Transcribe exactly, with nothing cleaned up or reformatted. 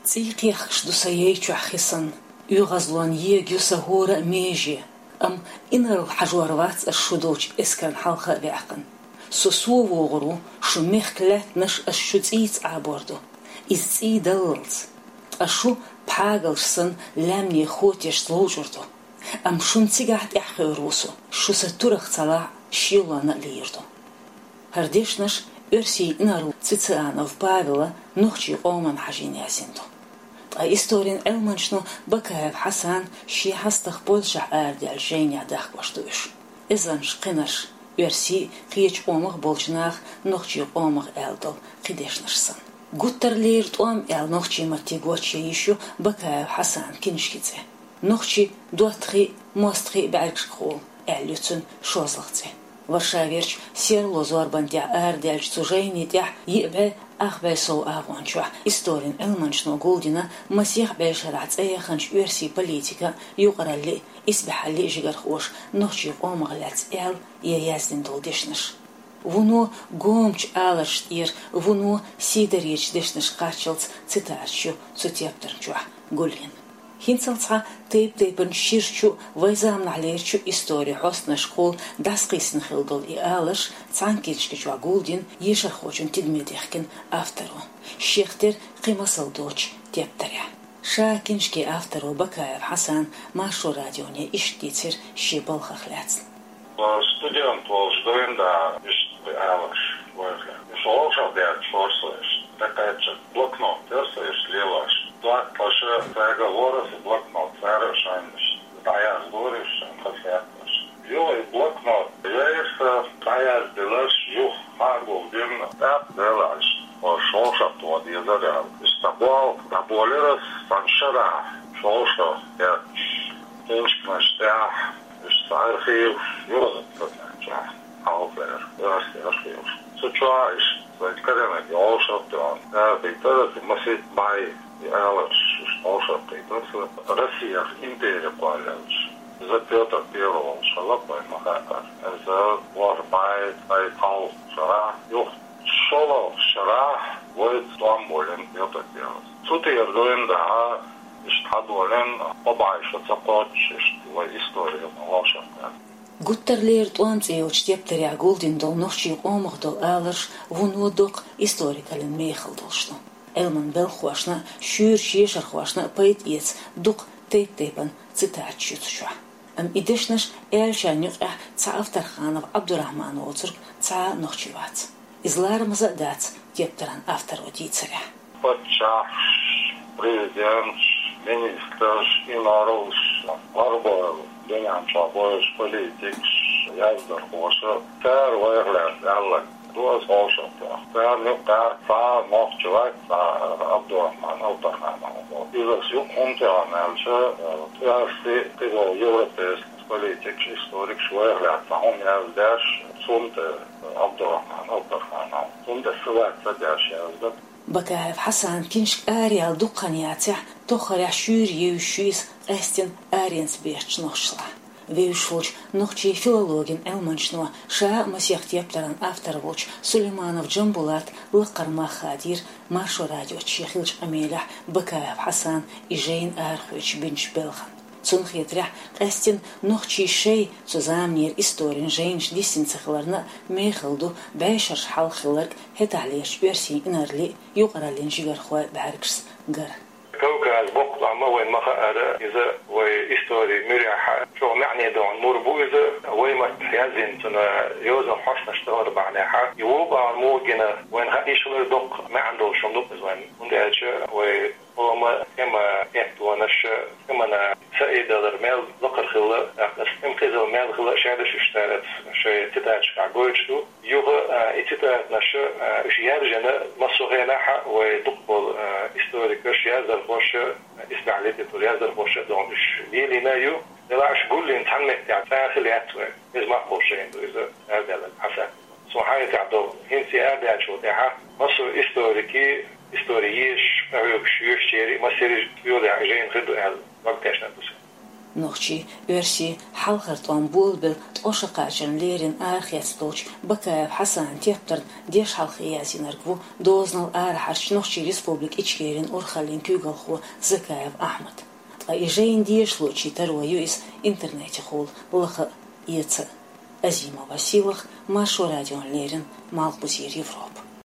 ЦӀий кхехкаш ду са яй чохь хи санна, оьгӀазлонан ега ю сан хӀора а меже, амма инарла хьажор вац ас шу долчу эскарна хьалха а ваьккхина. Со сов вогӀур ву, шун мехкан лаьттанаш ас шу цӀийца Ӏабор ду. Иза цӀий даллалц. Ткъа шу пхьагалш санна лаьмнийн хотешца ловчӀур ду. Амма шуна цигахь тӀаьхьахьур ву со, шу сан турах ца лахь, шелонна а лийр ду. ХӀара дешнаш оьрсийн инарла Цицыанов Павела нохчийн къоманна хьажийна яздина ду. Ткъа историн Ӏилманчо Бакаев Хьасана шен хьастагӀа Польшахь арадаьллачу жайнехь дахкош ду уьш. Эзарнаш кхинарш, оьрсийн а, кхечу къомах а болчу наха нохчийн къомах аьлла долу кхин дешнаш санна. «Гуттарлера тӀом» аьлла нохчийн маттахь гочйина йиш ю Бакаев Хьасана киншкин цӀе. Нохчийн доттагӀий а, мостагӀий а бӀаьргашкахула аьлла ю цуьнан шозлагӀа цӀе. Варшаверчу серло зорбан тӀехь арадаьллачу цу жайни тӀехь йиъ бӀе ах бӀе сов агӀончохь историн Ӏилманчо гулдина масех бӀешарахь цӀа яханчу оьрсийн политикан а, юкъараллин а, исбаьхьаллин а жигархоша нохчийн къомах лаьцна аьлла я яздина долу дешнаш. Вуно гомачу аларш тӀера, вуно сийдаречу дешнаш кхаччалц цитаташ ю цу тептарна чохь гулйина. ХӀинцалц цхьа тайп-тайпана ширачу а, вайн заманахьлерачу а историн хьостанашкахула дӀасакхийсина хилла долу и аларш цхьана киншка чохь гулдина ешархочун тидаме дехкина авторо, шех тера кхин масал доцучу тептарехь. Ша киншкин авторо Бакаев Хьасана Маршо радионе иштта дийцира шен балхах лаьцна. Студент волуш дуьйна да, иштта аларш вайхьа. Уьш вовшах дерг хьора со иштта. ТӀекхаьчча блокнот тера со иштта лелош. ДоттагӀаша цаьрга лора со блокнот, цара а шайнаш дӀаяздора уьш шайна хазахетарш. Юха и блокнот яйра сан, дӀаяздинарш юха хьагулдина, тӀаккха делахь иштта, хӀорш вовшах тоха дезара аьлла. Иштта болх дӀаболийра ас цхьана шарахь, уьш вовшах кхетташ. Киншканаш тӀехь, уьш сан архиваш, юха ца кхаьчча, хьалхара, оьрсийн архиваш. Цу чохь иштта вайн карийнарг вовшах а тоьхна, цара кхийтира аса масийтта бӀе и аларш, уьш вовшах кхийтира аса, Россех импери кхоллаелча. Иза Пётр Первый волуш хилла, вайна ма-хаъара. Иза ворхӀ бӀе ткъе пхи шарахь, юха шолгӀа шарахь вайца тӀом болийна Пётр Первый. Цу тӀера дуьйна да, иштта хьадолийна, кхо бӀе шо ца кхоччуш, иштта вай историна вовшах кхаьчна. «Гуттарлера тӀом» цӀе йолчу тептарехь гулдина долу нохчийн къомах долу аларш вуно доккха историкаллин мехала долуш ду. Ӏилманан белхахошна а, шуьйрачу ешархошна а пайда эца дукха тайп-тайпана цитаташ ю цу чохь. Амма и дешнаш аьллачарна юкъахь цхьа Авторханов Ӏабдурахьман воцург цхьа а нохчи вац. Иза ларамаза а дац тептаран авторо дийцарехь. Паччахьаш, президенташ, министраш, инарлаш, гӀарбойла дуьнен чохь болуш политикаш, яздархоша, цара вайх лаьцна аьлларг ду аса вовшах тоьхна. Царна юкъахь цхьа нохчи вац, цхьа Ӏабдурахьман Авторханов ву. Иза аса юкъа хӀунда тӀе вахана аьлча, оьрсийн, кхидолу европейски политикаш, историкаш вайх лаьцна хӀума яздеш, цунна тӀе Ӏабдурахьман Авторханов, цунна тӀе ссылаться деш яздина. Бакаев Хьасана киншка араяьлла дукха хан яцахь, тоххарехь шуьйра евзаш ю иза къаьсттина аренца бехачу нохчашлахь. Вевзаш волчу нохчийн филологин Ӏилманчо, ша а масех тептаран автор волчу Сулейманов Джамбулата лакхара мах хадийра Маршо радиоца шен хиллачу къамелехь Бакаев Хьасана и жайна арахоьцуш бинчу белхан. Цунна хетарехь, къаьсттина нохчийн шайн цу заманера историн жайнаш диссина ца хиларна а мехала ду бӀешераш хьалха хилларг хӀетахьлерчу оьрсийн инарлийн а, юкъараллин жигархойн а бӀаьргашца гар. Кавказ боккха тӀом а вайна ма-хаъара, иза вай историн муьрехь чӀогӀа маьӀне долу мур бу иза, вай маттахь яздина цуьнан йозанан хьостанаш тахана бахьанехь, и вукху бахьана муха гина вайна хаа йиш хилар доккха маьӀна долуш хӀума ду иза вайна, хӀунда аьлча вай къоман тӀеман эттонаш, тӀеман саидалар мел лакхара хилла, тӀаккха аса тӀеман хезал мел хилла шаьрдаш уьш цара шайн цитаташкахь гойтуш ду. Юха, а, и цитаташ, а, уьш яржийна массо а хенахь а вай дукхахболу, а, историкаш, яздархоша, а, исбаьхьа литературан яздархоша а дохна уьш лелийна а ю. Делахь уьш гулйина цхьана меттехь цхьа а хилла яц вайн. Иза маккхалш шайна ду иза, аьрдаьлларг Хьасан. Суна хьайна тӀехь долу, хӀинца и аьрдаьллачул тӀаьхьа массо а историкийн, истори езаш, къахьоьгуш, йоьшучеран а, массеран а йолаяхь жайна хир ду аьлла, дог тешна ду сан. Нохчий, оьрсий хьалхара тӀом болабелла ткъо шо кхачарна леррина арахецна долчу Бакаев Хьасанан тептарна дешхьалхе яздинарг ву дозанал арахьарчу Нохчийн Республика Ичкерин урхаллин куьйгалхо Закаев Ахьмад. Ткъа и жайна дешалучийн таро ю иза интернетехула лаха а, эца а. Азимова Сийлаха, Маршо радиона леррина, Малхбузера Европа.